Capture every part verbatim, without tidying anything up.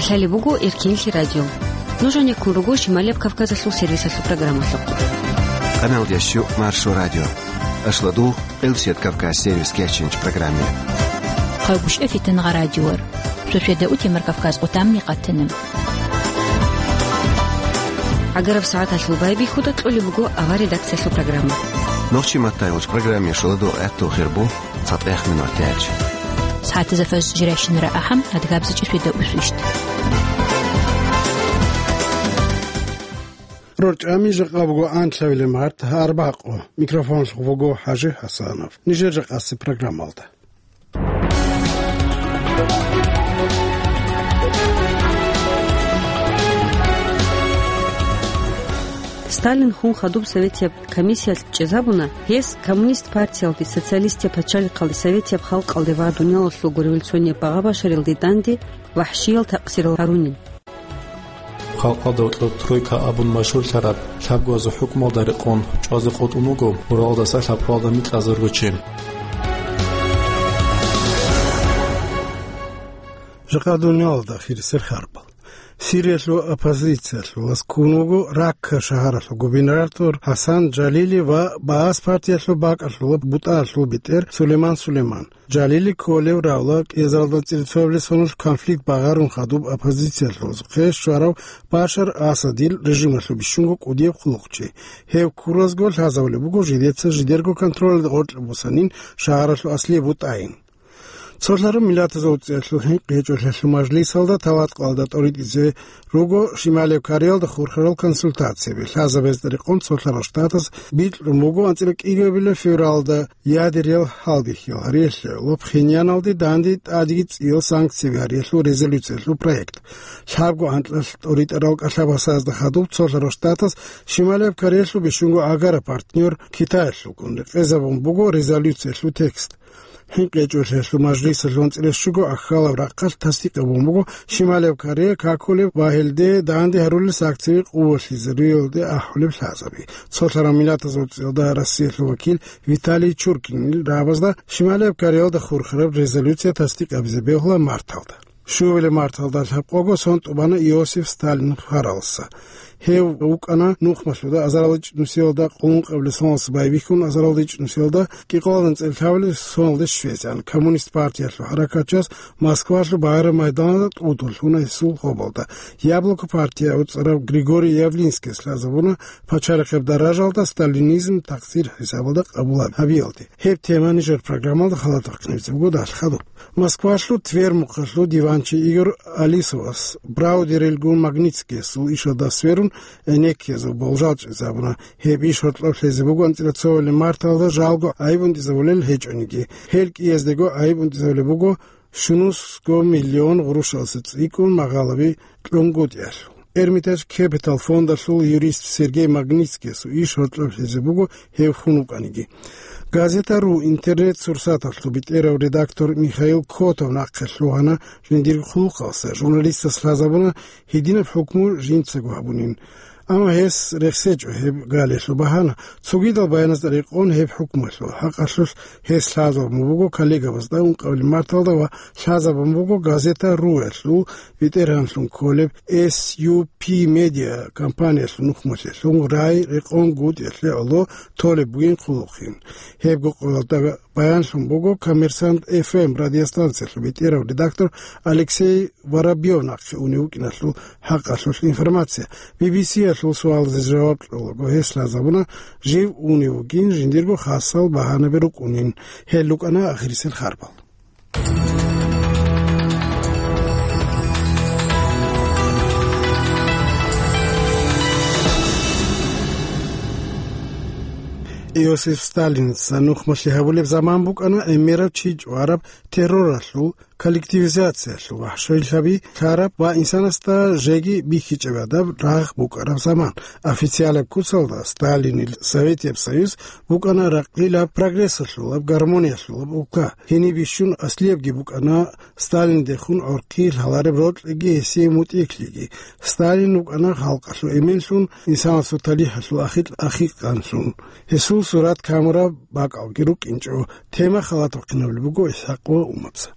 Лъалеб буго Эркенлъи радио. Нуж гьанеккун руго Шималияб Кавказалъул сервисалъул программалъухъ. Къаналдящу Маршо радио. Ашладу Элсет Кавказ сервис кечинч программе. Хъагушев Фитангъа радиор. Суседа Утимар Кавказ отамни къатана. ГӀагараб сагӀаталъул байбихьуда кьолеб буго авар редакциялъул программа. Нохчи маттайгъуч программе шуладу гӀатту хирбу цатӀех минут тяч. СагӀатазда фаз жирайщинара ахӀам, адгабзичӀи суседа усвищт. РорчӀами жакъа буго анлъабилеб март, арбакъу. Микрофонлъухъ вуго ХӀажи ХӀасанов. Нижер жакъаси программалда. Сталин хун хадуб советияб комиссиялъ чӀезабуна, гьес коммунист партиялде, социалистияб пачалихъалде, советияб халкъалде ва дуниялалъулго революционияб багъа-башарилде данде вахӀшиял такъсирал гьарунин. Халкъалда гьоркьоб тройка абун машгьурлъараб лъабгоязул хӀукмалда рекъон чӀвазе къотӀун вуго Уралдаса лъабкъоялда микьазарго чи. Жакъа дуниялалда хирисел харбал. Сириялъул оппозициялъул васкун вуго Ракка шагьаралъул губернатор ХӀасан Жалили ва Баас партиялъул бакӀалъулаб бутӀаялъул бетӀер Сулейман Сулейман. Жалили кколев равла кӀезаралда цӀилцоябилеб соналъ конфликт багъарун хадуб оппозициялъул хъе щварав Башар Асадил режималъул бищунго кӀудияб хъулухъчи. Гьев ккуразго лъазабулеб буго жидеца жидерго контролалда гъоркье босанин шагьаралъул аслияб бутӀайин. Цолъараб миллатазул цӀеялъул хӀинкъи гьечӀолъиялъул мажлисалда таваткъалда тӀоритӀизе руго Шималияб Кореялда хурхарал консультацияби. Лъазабазда рекъон Цолъарал Штатаз бикьун буго анцӀила кӀигабила февралда ядериял гьалбихьиял гьариялъе гӀоло Пхеньяналде данде тӀадеги цӀиял санкцияби гьариялъул резолюциялъул проект. Лъабго анкьалъ тӀоритӀарал кӀалъабасазда хадуб Цолъарал Штатаз Шималияб Кореялъул бищунго гӀагараб партнер Китаялъулгун рекъезабун буго резолюциялъул текст. ХӀинкъи гьечӀолъиялъул мажлисалъул анцӀила щуго ахьалаб рахъалъ тасдикъ гьабун буго Шималияб Корея какулеб ва гьелде данде гьарулел санкцияби къувалъизариялде ахӀулеб лъазаби. Цолъарал миллатазул цӀиялда Россиялъул вакил Виталий Чуркинил рагӀабазда Шималияб Кореялда хурхараб резолюция тасдикъ гьабизе бегьула марталда. Щуабилеб марталда лъабкъого сон тӀубана Иосиф Сталин хваралса. Гьев вукӀана нухмалъуда азарилчӀ нусиялда къуллункъабилеб соналъ байбихьун азарилчӀ нусиялда кӀикъоялда анцӀила лъабабилеб соналде щвезегӀан. Коммунист партиялъул хӀаракатчияс Москвалъул багӀараб майдалда тӀуд лъуна гьесул гьоболда. Яблоко партия аварагас Григорий Явлинскийс лъазабуна пачалихъеб даражалда сталинизм такъсир хӀисабалда къабул гьабиялде. Гьеб тема нижер программалда халатаб къинабизе буго далъ хадуб. Москвалъул Тверь мухъалъул диванчи Игорь Алисовас Браудерилгун Магнитскиясул ишалда сверун, гӀенеккиязул болжал чӀезабуна. Гьеб иш гьоркьоб лъезе буго анцӀила цоабилеб марталда жалго гӀайиб унтӀизабулел гьечӀониги. Гьел кӀияздего гӀайиб унтӀизабулеб буго щунусго миллион гъурущалъе цӀикӀкӀун магъалаби кьунгутӀиялъул. Эрмитаж Кепитал фондалъул юрист Сергей Магнитскиясул иш гьоркьоб лъезе буго гьев хун вукӀаниги. Газета ру интернет-сурсаталъул бетӀерав редактор Михаил Котов нахъе лъугьана жиндир хъулухъалса, журналистас лъазабуна гьединаб хӀукму жинцаго гьабунин. Амма гьес рехсечӀо гьеб галиялъул багьана. Цогидал баяназда рекъон гьеб хӀукмуялъул хӀакъалъулъ гьес лъазабун буго коллегабазда ункъабилеб марталда ва лъазабун буго газета руялъул ветеранлъун кколеб С Ю П Медиа компаниялъул нухмалъелъун рай рекъон гутӀиялъе гӀоло толеб бугин хъулухъин. Гьебго къоялда баянлъун буго Коммерсант Ф М радиостанциялъул бетӀерав редактор Алексей Воробьев нахъе унев вукӀиналъул хӀакъалъулъ информация. Би би Си-ялъул суалазе жаваб кьолаго гьес лъазабуна жив унев вугин, жиндирго хасал багьанаби рукӀунин. Гьел рукӀана ахирисел харбал. Иосиф Сталинца нухмалъи гьабулеб заман букӀана гӀемерав чи чӀвараб терроралъул, коллективизациялъул, вахӀшилъаби лъараб ва инсанасда жеги бихьичӀеб гӀадаб рагъ букӀараб заман. Официалаб куцалда Сталинил Советияб Союз букӀана ракъилаб, прогрессалъулаб, гармониялъулаб улка. Гьениб бищун аслиябги букӀана Сталиндехун гӀорхъи лъалареб рокьиги гьесие мутӀигӀлъиги. Сталин вукӀана халкъалъул эменлъун, инсанасул талихӀалъул ахикь-, ахикьанлъун. Гьесул сурат камураб бакӀалги рукӀинчӀо. Тема халатаб къинабулеб буго ИсхӀакъ ва Умабза.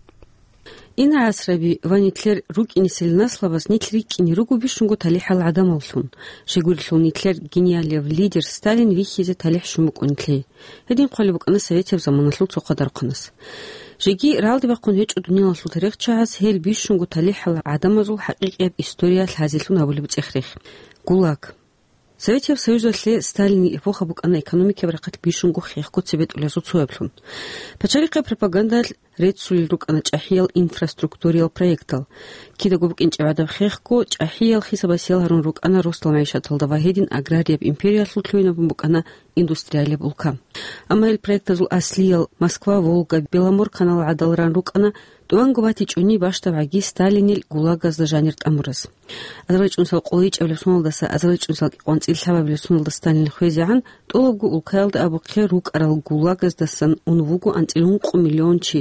Ина гӀасраби ва нилъер рукӀинесел наслабаз нилъ рикӀкӀине руго бищунго талихӀал гӀадамаллъун. Щайгурелъул нилъер гениалияб лидер Сталин вихьизе талихӀ щун букӀун нилъее. Гьедин хъвалеб букӀана советияб заманалъул цо хъадархъанас. Жеги ралде бахъун гьечӀо дуниялалъул тарихчагӀаз гьел бищунго талихӀал гӀадамазул хӀакъикъияб история лъазелъун гьабулеб цӀех-рех. ГУЛАГ. Советияб Союзалъе Сталинил эпоха букӀана экономикияб рахъалъ бищунго хехго цебетӀулазул цояблъун. Пачалихъе пропагандалъ реццулел рукӀана чӀахӀиял инфраструктуриял проектал. Кидаго букӀинчӀеб гӀадаб хехго чӀахӀиял хисабасиял гьарун рукӀана росдал магӀишаталда ва гьедин аграрияб империялъул лъугьинабун букӀана индустриалияб улка. Амма гьел проектазул аслиял Москва, Волга, Беломор канал гӀадал ран рукӀана, тӀуванго батичӀони бащдабгӀаги Сталинил ГУЛАГазда жанир тӀамураз. АзарилчӀунсал къолайичӀабилеб соналдаса азарилчӀунсал кӀикъоанцӀил лъабабилеб соналда Сталин хвезегӀан, тӀолабго улкаялда абухъе рукӀарал ГУЛАГаздасан ун вуго анцӀила ункъо миллион чи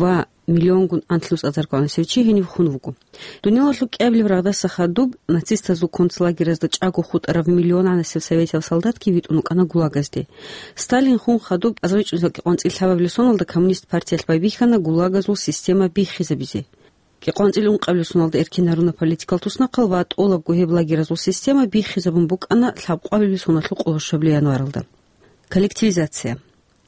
ва миллионгун анлънус азарго гӀанасев чи гьенив хун вуго. Дуниялалъул кӀиабилеб рагъдаса хадуб нацистазул концлагеразда чӀаго хутӀараб миллион гӀанасев советиял солдатги витӀун вукӀана ГУЛАГазде. Сталин хун хадуб азарилчӀунсал кӀикъоанцӀил лъабабилеб соналда коммунист партиялъ байбихьана ГУЛАГазул система биххизабизе. КӀикъоанцӀил ункъабилеб соналда эркин гьаруна политикал туснахъал ва тӀолабго гьеб лагеразул система биххизабун букӀана лъабкъоабилеб соналъул къоло щуабилеб январалда. Коллективизация.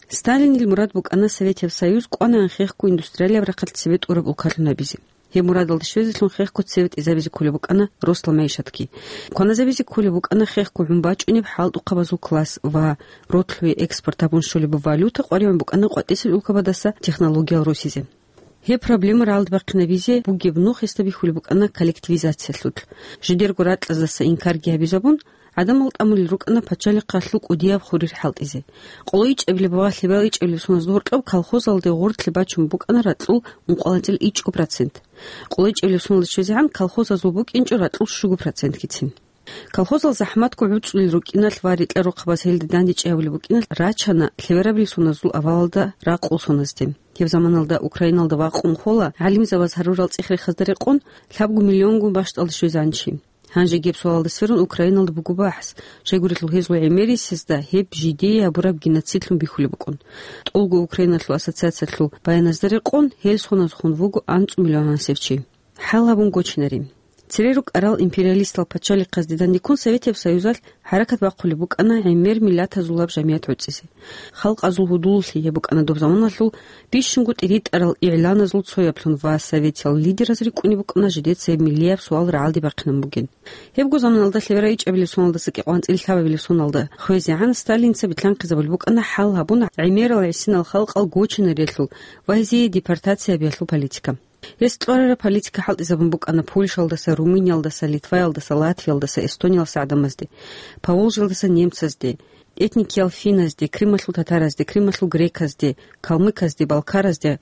Сталинил мурад букӀана Советияб Союз кӀванагӀан хехго индустриалияб рахъалъ цебе тӀураб улкалъун гьабизе. Гьеб мурадалда щвезелъун хехго цебетӀизабизе кколеб букӀана росдал магӀишатги. Кваназабизе кколеб букӀана хехго гӀун бачӀунеб хӀалтӀухъабазул класс ва ротлъуе экспорт гьабун щолеб валюта къваригӀун букӀана къватӀисел улкабаздаса технологиял росизе. Гьеб проблема ралдбахъинабизе бугеб нух гьесда бихьулеб букӀана коллективизациялъулъ. Жидерго ракьаздаса инкарги гьабизабун, гӀадамал тӀамулел рукӀана пачалихъалъул кӀудияб хурир хӀалтӀизе. Къоло ичӀабилеб ва лъебал ичӀабилеб соналъ гьоркьоб колхозалде гъорлъе бачун букӀана ракьул ункъоялда ичӀго процент. Къоло ичӀабилеб соналда щвезегӀан колхозазул букӀинчӀо ракьул щуго процентгицин. Колхозал захӀматго гӀуцӀулел рукӀиналъ ва рекьа-рохъабаз гьелда дандечӀей гьабулеб букӀиналъ рачана лъеберабилеб соназул авалалда ракьул соназде. Гьеб заманалда Украиналда вакъун хола гӀалимзабаз гьарурал цӀех-рехазда рекъон лъабго миллионгун бащдалде щвезегӀан чи. Гьанже гьеб суалалда сверун Украиналда буго бахӀс, щайгурелъул гьезул гӀемерисезда гьеб жидее гьабураб геноцидлъун бихьулеб букӀун. ТӀолго Украиналъул ассоциациялъул баяназда рекъон, гьел соназ хун вуго анцӀу миллион гӀанасев чи. ХӀал гьабун гочинари. Цере рукӀарал империалистал пачалихъазде дандеккун Советияб Союзалъ хӀаракат бахъулеб букӀана гӀемер миллатазулаб жамият гӀуцӀизе. Халкъазул гьудуллъи гьеб букӀана доб заманалъул бищунго тӀиритӀарал игӀланазул цояблъун ва советиял лидераз рикӀкӀунеб букӀана жидеца гьеб миллияб суал рагӀалде бахъинабун бугин. Гьебго заманалда лъеберай ичӀабилеб соналдаса кӀикъоанцӀил лъабабилеб соналда хвезегӀан Сталинца битӀанхъизабулеб букӀана хӀал гьабун гӀемерал гӀисинал халкъал гочинарелъул ва гьезие депортация гьабиялъул политика. Гьес кьварараб политика хӀалтӀизабун букӀана Польшалдаса, Румыниялдаса, Литваялдаса, Латвиялдаса, Эстониялдаса гӀадамазде, Поволжьелдаса немцазде, этникиял финназде, Крымалъул татаразде, Крымалъул греказде, калмыказде, балкаразде,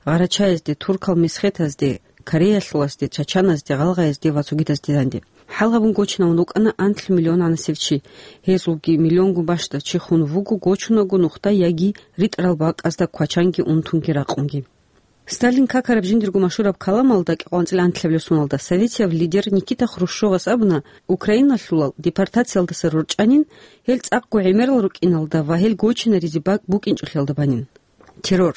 гъарачаязде, туркал месхетазде, кореялъулазде, чачаназде, гъалгъаязде ва цогидазде данде. ХӀал гьабун гочинавун вукӀана анлъ миллион гӀанасев чи. Гьезулги миллионгун бащдав чи хун вуго гочунаго нухда яги ритӀарал бакӀазда квачанги унтунги ракъунги. Сталин какараб жиндирго машгьураб каламалда кӀикъоанцӀил анлъабилеб соналда советияб лидер Никита Хрущевас абуна, Украиналъулал депортациялдаса рорчӀанин, гьел цӀакъго гӀемерал рукӀиналда ва гьел гочинаризе бакӀ букӀинчӀолъиялда банин. Террор.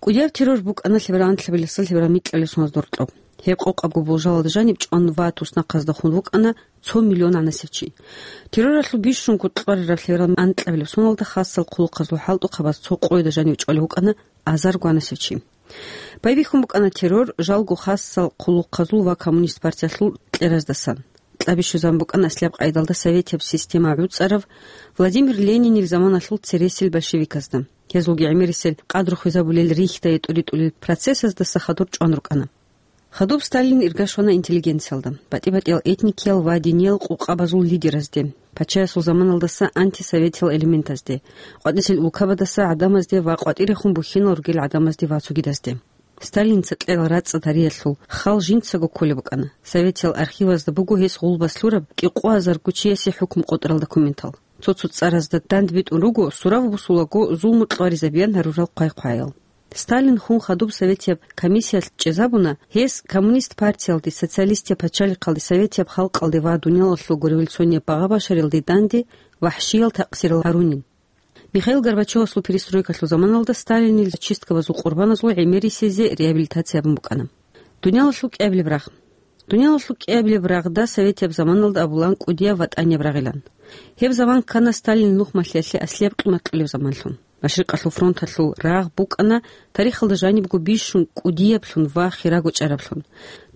КӀудияб террор букӀана лъеберал анлъабилеб соналдаса лъеберал микьабилеб соналда гьоркьоб. Гьеб къокъабго болжалалда жаниб чӀван ва туснахъазда хун вукӀана цо миллион гӀанасев чи. Терроралъул бищунго кьварараб лъеберал анлъабилеб соналда хасал хъулухъазул хӀалтӀухъабаз цо къояда жанив чӀвалев вукӀана азарго гӀанасев чи. Байбихьун букӀана террор жалго хасал хъулухъазул ва коммунист партиялъул кьераздасан. Кьабищу заман букӀана аслияб къайдалда советияб система гӀуцӀарав Владимир Ленинил заманалъул цересел большевиказда. Гьезулги гӀемерисел къадру хвезабулел рихьдае тӀуритӀулел процессаздаса хадур чӀван рукӀана. Хадуб Сталин ирга щвана интеллигенциялда, батӀи-батӀиял этникиял ва диниял къукъабазул лидеразде, пачаясул заманалдаса антисоветиял элементазде, къватӀисел улкабаздаса гӀадамазде ва къватӀирехун бухьинал ругел гӀадамазде ва цогидазде. Сталинца кьерал рацӀцӀад гьариялъул хал жинцаго кколеб букӀана. Советиял архивазда буго гьес гъулбас лъураб кӀикъоазарго чиясе хӀукму къотӀарал документал. Цо-цо цӀаразда дандбитӀун руго, сурав бусулаго зулму-кьваризабиян гьарурал хъвай-хъваял. Сталин хун хадуб советияб комиссиялъ чӀезабуна, гьес коммунист партиялде, социалистияб пачалихъалде, советияб халкъалде ва дуниялалъулго революционияб багъа-башарилде данде вахӀшиял такъсирал гьарунин. Михаил Горбачевасул перестройкалъул заманалда Сталинил чисткабазул къурбаназул гӀемерисезе реабилитация гьабун букӀана. Дуниялалъул кӀиабилеб рагъ. Дуниялалъул кӀиабилеб рагъда советияб заманалда абулан кӀудияб ВатӀанияб рагъилан. Гьеб заман ккана Сталинил нухмалъиялъе аслияб къимат кьолеб заманлъун. Машрикъалъул фронталъул рагъ букӀана тарихалда жанибго бищун кӀудияблъун ва хирагучӀараблъун.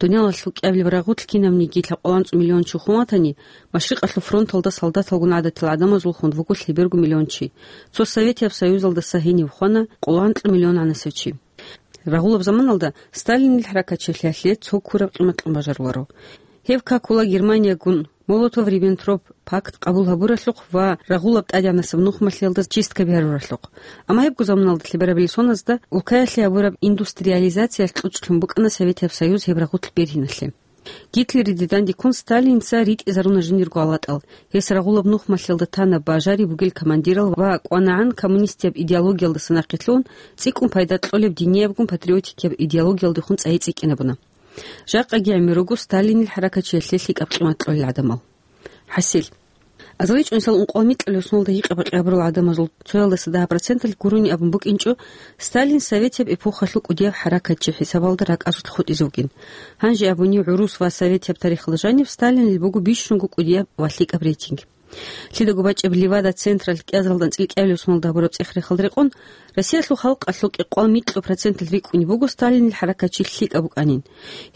Дуниялалъул кӀиабилеб рагъулъ кинабниги лъабкъоялда анцӀу миллион чи хун ватани, Машрикъалъул фронталда солдаталгун гӀадатал гӀадамазулхун вуго лъеберго миллион чи. Цо Советияб Союзалдаса гьенив хвана къоло анцӀу миллион гӀанасев чи. Рагъулаб заманалда Сталинил хӀаракатчилъиялъе цо ккураб къимат кьун бажаруларо. Гьеб какула Германиягун Молотов-Риббентроп пакт къабул гьабуралъухъ ва рагъулаб тӀадегӀанасеб нухмалъиялда чистка бигьаруралъухъ. Амма гьебго заманалда лъеберабилеб соназда улкаялъе гьабураб индустриализациялъ кьучӀлъун букӀана Советияб Союз гьеб рагъулъ бергьиналъе. Гитлериде дандеккун Сталинца ритӀизаруна жиндирго гьалатӀал. Гьес рагъулаб нухмалъиялда тана бажари бугел командирал ва кӀванагӀан коммунистияб идеологиялдаса нахъе лъугьун, цӀикӀкӀун пайда кьолеб диниябгун патриотикияб идеологиялдехун цӀайи цӀикӀкӀинабуна. Жакъаги гӀемер руго Сталинил хӀаракатчилъиялъе лъикӀаб къимат кьолел гӀадамал. ХӀасил. Азарилчи унсал ункъоялда микьабилеб соналда гьикъа-бакъи гьабурал гӀадамазул цоялдаса дагьаб проценталъ гурони абун букӀинчӀо, Сталин советияб эпохалъул кӀудияб хӀаракатчи хӀисабалда ракӀазулъ хутӀизе вугин. Гьанже абуни, гӀурус ва советияб тарихалда жаниб Сталинил буго бищунго кӀудияб ва лъикӀаб рейтинг. Лъидаго бачӀеб Левада-централъ кӀиазаралда анцӀила кӀиабилеб соналда гьабураб цӀех-рехалда рекъон, Россиялъул халкъалъул кӀикъоялда микьаб проценталъ рикӀкӀунеб буго Сталинил хӀаракатчи лъикӀаб букӀанин.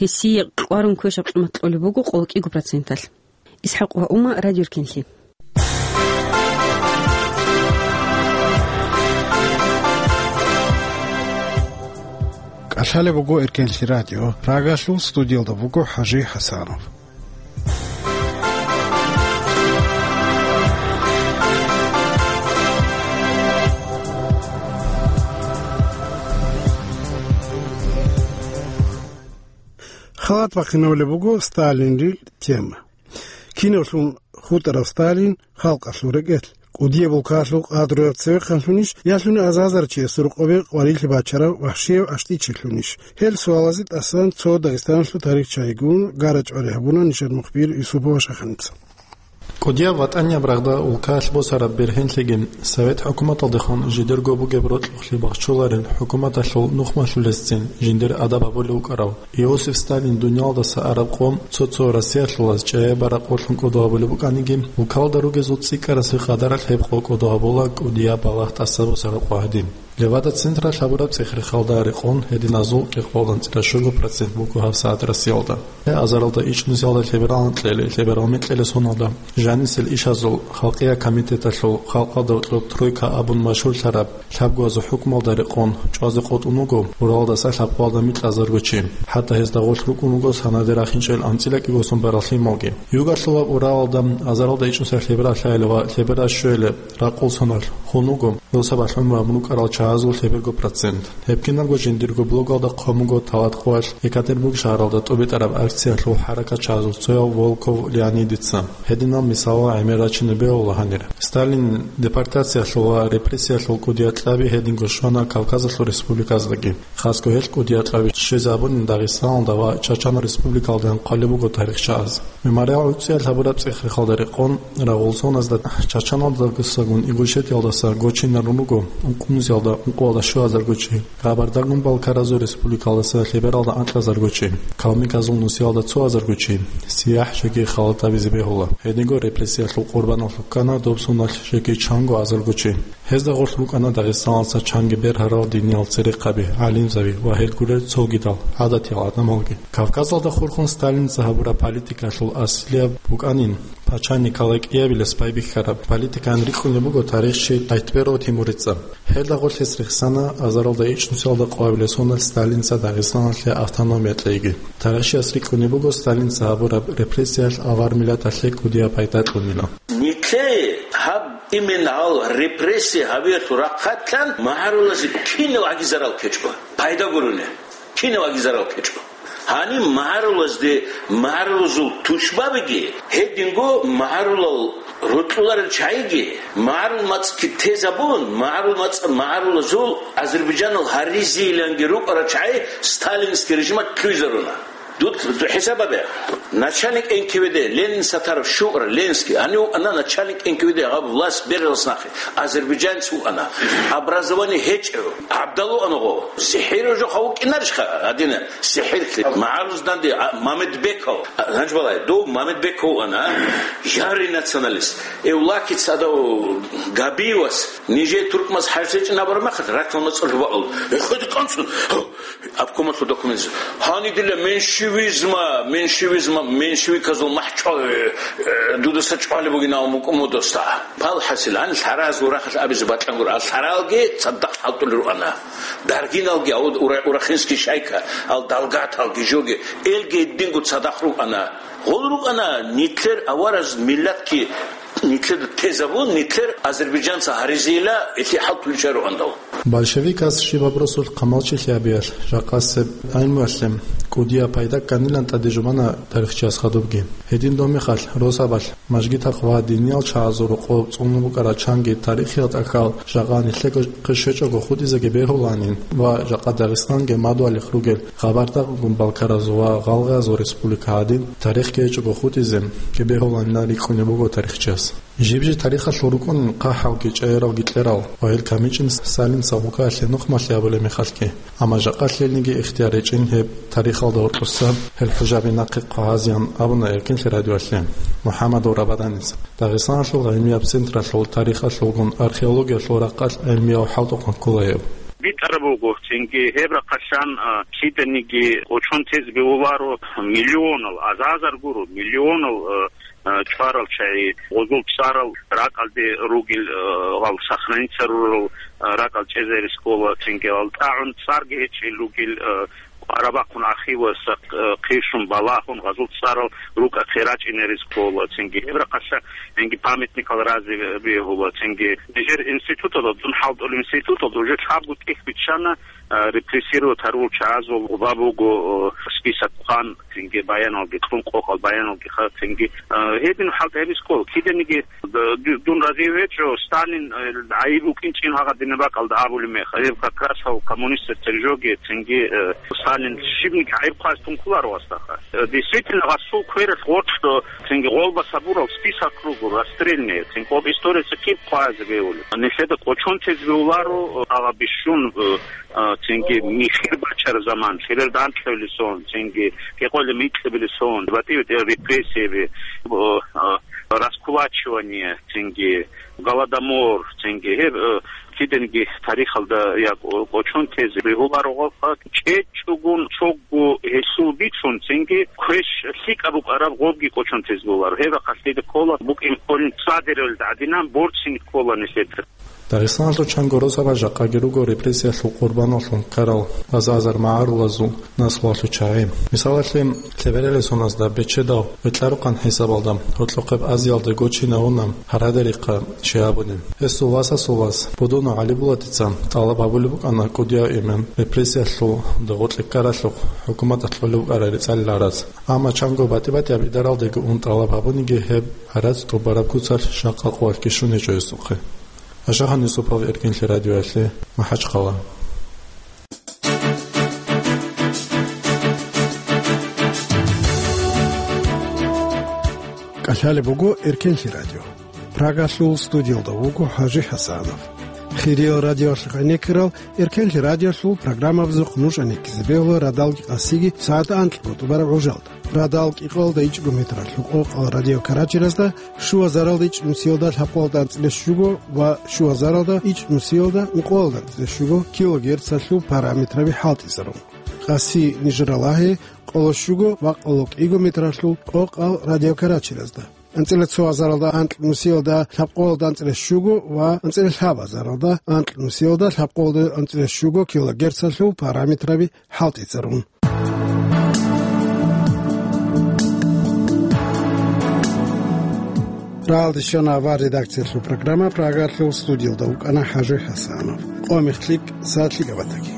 Гьесие кьварун квешаб къимат кьолеб буго къоло кӀиго проценталъ. ИсхӀакъ ва Ума, Радио Эркенлъи. КӀалъалеб буго Эркенлъи радио. Прагалъул студиялда буго ХӀажи ХӀасанов. Халат бахъинабулеб буго Сталинил тема. Кинавлъун хутӀарав Сталин халкъалъул рекӀелъ, кӀудияб улкаялъул къадруяб цевехъанлъунищ, ялъуни азазарав чиясул рокъобе къварилъи бачарав вахщияв аштӀичилъунищ? Гьел суалазе тӀасан цо Дагъистаналъул тарихчайгун гара-чӀвари гьабуна нижер мухбир Юсупова Шаханица. КӀудияб ВатӀанияб рагъда улкаялъ босараб бергьенлъиги, Совет хӀукуматалдехун жидерго бугеб рокьухълъи бахчуларел хӀукуматалъул нухмалъулесцин жиндир адаб гьабулев вукӀарав Иосиф Сталин дуниялдаса араб къо цо-цо Россиялъулаз чӀаяб бараб къолъун кӀодо гьабулеб букӀаниги, улкалда ругезул цӀикӀкӀарасеб къадаралъ гьеб къо кӀодо гьабула кӀудияб балагь тӀаса босараб къо гьадин. Левада-централъ гьабураб цӀех-рехалда рекъон гьединазул кӀикъоялда анцӀила щуго процент буго гьабсагӀат Россиялда. Азаралда ичӀнусиялда лъебералда анкьилел, лъеберал микьилел соналда жанисел ишазул халкъиял комитеталъул халкъалда гьоркьоб тройка абун машгьурлъараб лъабгоязул хӀукмуялда рекъон чӀвазе къотӀун вуго уралалдаса лъабкъоялда микьазарго чи. ХӀатта гьезда гъорлъ рукӀун вуго санаде рахинчӀел анцӀила кӀиго сон барал лъималги. Югалъулаб Уралалда азаралда ичӀнусиялда лъебералъайилан ва лъеберал щуялъе ракъул соналъ хун вуго Росабалъ гӀумру гьабун рукӀарал чагӀазул лъеберго процент. Гьеб кинабго жиндирго блогалда хъван буго талат къоялъ Екатеринбург шагьаралда тӀубитӀараб акциялъул хӀаракатчагӀазул цояв Волков Леонидица. Гьединал мисалал гӀемер рачине бегьула гьанир. Сталин депортациялъул ва репрессиялъул кӀудияб кьаби гьединго щвана Кавказалъул республиказдаги. Хасго гьел кӀудияб кьаби щвезабунин Дагъистаналда ва Чачан республикалдаян хъвалеб буго тарихчагӀаз. Мемориал гӀуцӀиялъ гьабураб цӀех-рехалда рекъон, рагъул соназда Чачаналдасагун Ингушетиялдаса гочинарун руго ункънусиялда ункъоялда щуазарго чи, Къабардагун-Балкаразул республикалдаса лъебералда анкьазарго чи, калмыказул нусиялда цоазарго чи, сияхӀ жеги халатабизе бегьула. Гьединго репрессиялъул къурбаналъул ккана доб соналъ жеги чанго азарго чи. Гьезда гъорлъ рукӀана Дагъистаналдаса чанги бергьарал диниял церехъаби, гӀалимзаби ва гьел гурел цогидал гӀадатиял гӀадамалги. Кавказалда хурхун Сталинца гьабураб политикалъул аслияб букӀанин пача Николай кӀиабилес байбихьараб политикаялъ рикӀкӀунеб буго тарихчи Айтберов Тимурица. Гьелда гъорлъ гьес рехсана азаралда ичӀнусиялда къоабилеб соналъ Сталинца Дагъистаналъе автономия кьейги. Тарихчияс рикӀкӀунеб буго Сталинца гьабураб репрессиялъ авар миллаталъе кӀудияб пайда кьунила. Нилъее гьаб именно гьал репрессия гьабиялъул рахъалъан магӀарулазе кинав гӀаги зарал ккечӀо, пайда гурони, кинав гӀаги зарал ккечӀо. Гьаниб магӀарулазде магӀарулазул тушбабиги, гьединго магӀарулал рокьуларел чагӀиги, магӀарул мацӀги тезабун, магӀарул мацӀ-, магӀарулазул Азербайджанал гьаризейиланги рукӀарал чагӀи сталинский режималъ лъугьизаруна. Дуд-, хӀисаб гьабе. Начальник Н К В Д, Ленин Сатаров, ШугӀра, Ленский, гьанив вукӀана начальник Н К В Д, гьаб власть бералас нахъе, азербайджанец вукӀана. Образование гьечӀев, гӀабдал вукӀана гъо. СихӀирав жо хъа вукӀинарищха гьадина? СихӀирлъи. МагӀарулазда данде, а, Мамедбеков. А, гьанж балай, дов Мамедбеков вукӀана, а? Ярый националист. Эвлакица гьадав Габиевас, нижер туркмаз хӀарс гьечӀин абураб мехалъ, ракьалда цӀалъ бакӀал. Эхеде къанцун. Обкомалъул документалъ. Гьанидила меньшевизма, меньшевизма, меньшевиказул махӀ чӀвал, э, дудаса чӀвалеб бугин абун букӀун модоста. Пал хӀасил, гьанил лъаразул рахъалъ абизе бакьан гуро, а лъаралги цадахъ хӀалтӀулел руана. Даргиналги, а ура-, урахинский шайка, ал далгаталги жоги, элги гьединго цадахъ рукӀана. Гъол рукӀана, нитлъер авараз миллатги нитлъеда тезабун, нитлъер азербайджанца гьаризейила, илъи хӀалтӀулел чӀвай руандал. Большевикас щибаб росулъ хъамалчилъи гьабиялъ, жакъасеб гӀилмуялъе кӀудияб пайда кканилан тӀаде жубана тарихчияс хадубги. Гьедин доб мехалъ, росабалъ, мажгитахъ ва диниял чагӀазул рокъоб цӀунулеб букӀарал чанги тарихиял тӀахьал жакъа нилъего хъе щвечӀого хутӀизеги бегьуланин ва жакъа Дагъистанги мадугьалихъ ругел Къабардагъгун балкаразул ва гъалгъазул республика гьадин тарихги гьечӀого хутӀизеги бегьуланилан рикӀкӀунеб буго тарихчияс. Жиб-жиб тарихалъул рукӀунин хъахӀалги, чӀегӀералги кьерал ва гьел камичӀин Сталинца гъукаялъе нухмалъи гьабулеб мехалъги. Амма жакъа лъелниги ихтияр гьечӀин гьеб тарихалда гьоркьоса гьел хӀужаби нахъе хъвагьазеян абуна Эркенлъи радиоялъе МухӀаммадов Рабаданица. Дагъистаналъул гӀилмияб централъул тарихалъулгун археологиялъул рахъалъ гӀилмияв хӀалтӀухъан ккола гьев. БитӀараб буго, цинги гьеб рахъалъан, а, киданиги кӀочон тезе бегьуларо миллионал, азазар гуро, миллионал, а, а, чӀварал чагӀи, гъозул цӀарал ракӀалде ругел, а, гъал сохраниться рурал, а, ракӀал чӀезаризе ккола, цинги гьал тӀагӀун цӀарги гьечӀел ругел, а, къварабахъун архивалъа, а, хъишун балагьун, гъазул цӀарал рукӀахъе рачӀинаризе ккола, цинги гьеб рахъалъа гьенги памятникал разе бегьула, цинги нижер институталда, дун хӀалтӀулеб институталда уже лъабго тӀехь биччана, а, репрессировать гьарурал чагӀазул гъоба буго, а, список хъван, цинги баяналги кьун, къокъал баяналги хъван, цинги, а, гьедин хӀалтӀи гьабизе ккола. Киданиги, д-, д-, дун разив гьечӀо, Сталин, а, гӀайиб букӀинчӀин гьагъадинаб бакӀалда абулеб мех. Гьеб как раз гьав коммунистазда жоги, цинги, а, Сталин щибниги гӀайиб хъвазе тун кколаро гъасдаха. А, действительно, гъасул квералъ гъоркьо, цинги гъолба сабурал список руго, расстрельный, цинги гъоб историялъе киб хъвазе бегьулеб. Нилъеда кӀочон тезе бегьуларо, а, гьагъа бищун, а, а, цинги михир бачараб заман, лъебер данделъабилеб сон, цинги кӀикъоялда микьабилеб сон, батӀи-батӀиял репрессияби, а, а, раскулачивание, цинги голодомор, цинги гьеб, а, киданиги тарихалда я кӀо-, кӀочон тезе бегьуларо гъо-, чӀечӀогун цогу гьелъул бицун, цинги квеш лъикӀаб букӀараб гъобги кӀочон тезе бегьуларо. Гьеб рахъалъ дида ккола букӀин кколин цадералда гӀадинан борцин ккола нилъеда. Дагъистаналъул чанго росабаз жакъаги руго репрессиялъул къурбаналлъун ккарал азазар магӀарулазул наслуялъул чагӀи. Мисалалъе, лъебералияб соназда бечедав ветӀларухъан хӀисабалда гьоркьохъеб Азиялда гочинавуна Гьарадарихъа Шигьабудин. Гьесул васасул вас Будунов ГӀалибулатица тӀалаб гьабулеб букӀана кӀудияв имам репрессиялъул дагъу кьеккаралъухъ хӀукуматалъ кьолеб букӀараб рецӀалил гӀарац. Амма чанго батӀи-батӀияб идаралдаги ун тӀалаб гьабуниги гьеб гӀарац тӀубараб куцалъ жакъа къоялъги щун гьечӀо гьесухъе. Ашахан Юсупов, Эркенлъи радиоялъе, МахӀачхъала. КӀалъалеб буго Эркенлъи радио. Прагалъул студиялда вуго ХӀажи ХӀасанов. Хириял радиоялъухъ гӀенеккарал Эркенлъи радиоялъул программабазухъ нуж гӀенеккизе бегьула радалги къасиги сагӀат анкьго тӀубараб гӀужалда. Радал кӀикъоялда ичӀго метралъул къокъал радиокаратеразда, щуазаралда ичӀнусиялда лъабкъоялда анцӀила щуго ва щуазаралда ичӀнусиялда ункъоялда анцӀила щуго килогерцалъул параметраби хӀалтӀизарун. Къаси нижер ралагье къоло щуго ва къоло кӀиго метралъул къокъал радиокаратеразда. АнцӀила цо азаралда анкьнусиялда лъабкъоялда анцӀила щуго ва анцӀила лъабазаралда анкьнусиялда лъабкъоялда анцӀила щуго килогерцалъул параметраби хӀалтӀицӀарун. Рагьалде щвана авар редакциялъул программа, Прагалъул студиялда вукӀана ХӀажи ХӀасанов. Къо-мех лъикӀ, сагӀат лъикӀаб батаги.